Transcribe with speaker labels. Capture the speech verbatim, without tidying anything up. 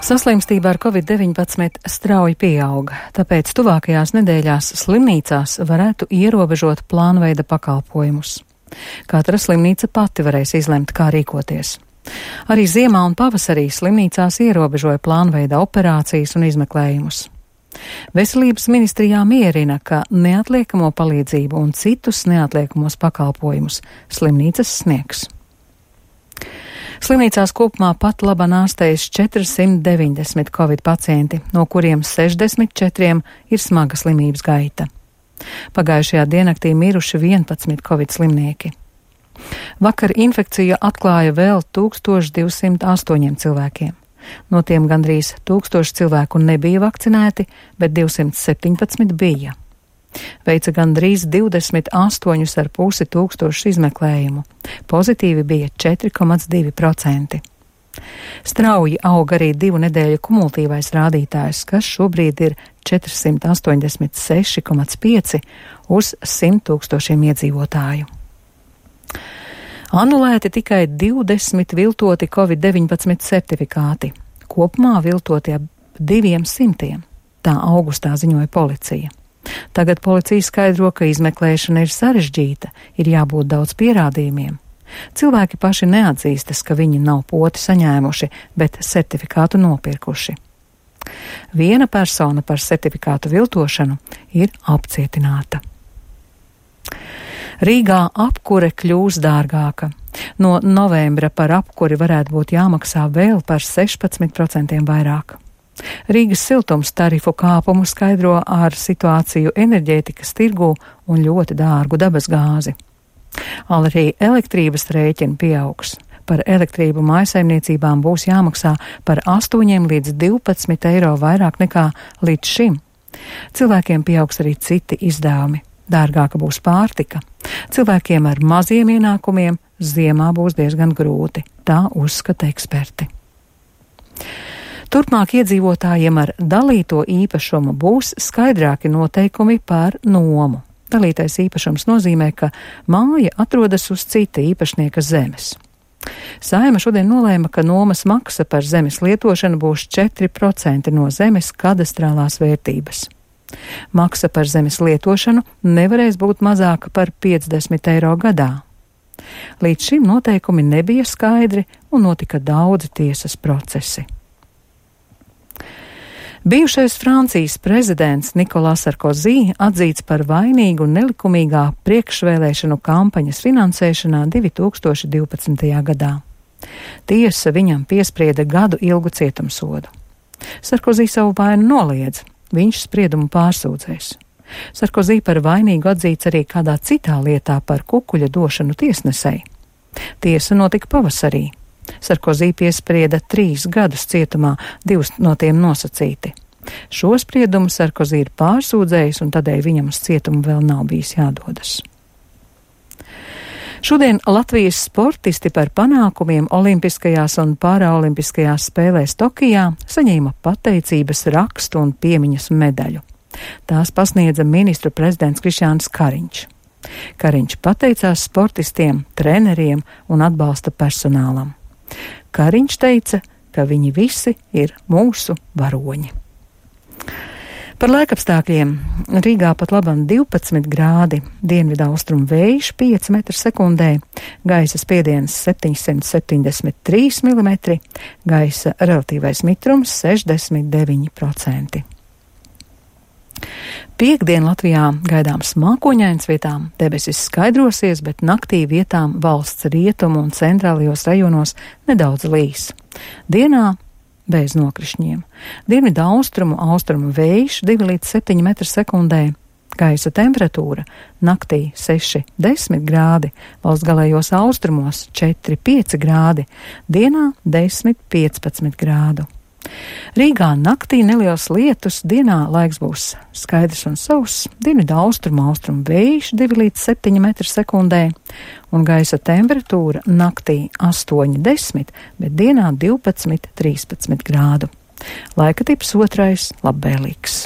Speaker 1: Saslimstība ar covid deviņpadsmit strauji pieauga, tāpēc tuvākajās nedēļās slimnīcās varētu ierobežot plānveida pakalpojumus. Katra slimnīca pati varēs izlemt, kā rīkoties. Arī ziemā un pavasarī slimnīcās ierobežoja plānveida operācijas un izmeklējumus. Veselības ministrijā mierina, ka neatliekamo palīdzību un citus neatliekamos pakalpojumus slimnīcas sniegs. Slimnīcās kopumā pat labāk ārstējas četrsimt deviņdesmit covid pacienti, no kuriem sešdesmit četriem ir smaga slimības gaita. Pagājušajā diennaktī miruši vienpadsmit covid slimnieki. Vakar infekciju atklāja vēl tūkstoš divsimt astoņiem cilvēkiem. No tiem gandrīz tūkstoši cilvēku nebija vakcinēti, bet divsimt septiņpadsmit bija. Veica gandrīz divdesmit astoņus ar pusi tūkstošus izmeklējumu. Pozitīvi bija četri komats divi procenti. Strauji aug arī divu nedēļu kumulatīvais rādītājs, kas šobrīd ir četrsimt astoņdesmit seši komats pieci uz simt tūkstošiem iedzīvotāju. Anulēti tikai divdesmit viltoti covid deviņpadsmit certifikāti. Kopumā viltoti ap diviem simtiem. Tā augustā ziņoja policija. Tagad policija skaidro, ka izmeklēšana ir sarežģīta, ir jābūt daudz pierādījumiem. Cilvēki paši neatzīstas, ka viņi nav poti saņēmuši, bet certifikātu nopirkuši. Viena persona par certifikātu viltošanu ir apcietināta. Rīgā apkure kļūs dārgāka. No novembra par apkuri varētu būt jāmaksā vēl par sešpadsmit procentiem vairāk. Rīgas siltums tarifu kāpumu skaidro ar situāciju enerģētikas tirgū un ļoti dārgu dabasgāzi. Arī elektrības rēķini pieaugs. Par elektrību mājsaimniecībām būs jāmaksā par astoņiem līdz divpadsmit eiro vairāk nekā līdz šim. Cilvēkiem pieaugs arī citi izdevumi. Dārgāka būs pārtika. Cilvēkiem ar maziem ienākumiem ziemā būs diezgan grūti, tā uzskata eksperti. Turpmāk iedzīvotājiem ar dalīto īpašumu būs skaidrāki noteikumi par nomu. Dalītais īpašums nozīmē, ka māja atrodas uz cita īpašnieka zemes. Saeima šodien nolēma, ka nomas maksa par zemes lietošanu būs četri procenti no zemes kadastrālās vērtības. Maksa par zemes lietošanu nevarēs būt mazāka par piecdesmit eiro gadā. Līdz šim noteikumi nebija skaidri un notika daudzi tiesas procesi. Bijušais Francijas prezidents Nikolās Sarkozī atzīts par vainīgu nelikumīgā priekšvēlēšanu kampaņas finansēšanā divi tūkstoši divpadsmitajā gadā. Tiesa viņam piesprieda gadu ilgu cietumsodu. Sarkozī savu vainu noliedz, viņš spriedumu pārsūdzēs. Sarkozī par vainīgu atzīts arī kādā citā lietā par kukuļa došanu tiesnesei. Tiesa notika pavasarī. Sarkozī piesprieda trīs gadus cietumā, divus no tiem nosacīti. Šo spriedumu Sarkozī ir pārsūdzējis un tādēļ viņam uz cietumu vēl nav bijis jādodas. Šodien Latvijas sportisti par panākumiem olimpiskajās un paraolimpiskajās spēlēs Tokijā saņēma pateicības rakstu un piemiņas medaļu. Tās pasniedza ministru prezidents Krišjānis Kariņš. Kariņš pateicās sportistiem, treneriem un atbalsta personālam. Kariņš teica, ka viņi visi ir mūsu varoņi. Par laikapstākļiem. Rīgā pat labam divpadsmit grādi, dienvidu austrumu vējš pieci metri sekundē, gaisa spiediens septiņsimt septiņdesmit trīs milimetri, gaisa relatīvais mitrums sešdesmit deviņi procenti. Piektdien Latvijā gaidāms mākoņains, vietām debesis skaidrosies, bet naktī vietām valsts rietumu un centrālajos rajonos nedaudz līs. Dienā bez nokrišņiem. Dienvidu austrumu austrumu vējš divi līdz septiņi metri sekundē. Gaisa temperatūra naktī seši desmit grādi, valsts galējos austrumos četri pieci grādi, dienā desmit piecpadsmit grādu. Rīgā naktī neliels lietus, dienā laiks būs skaidrs un sauss, dienvidu austrumu austrumu vējš divi līdz septiņi metri sekundē un gaisa temperatūra naktī astoņi desmit, bet dienā divpadsmit trīspadsmit grādu. Laika tips otrais labvēlīgs.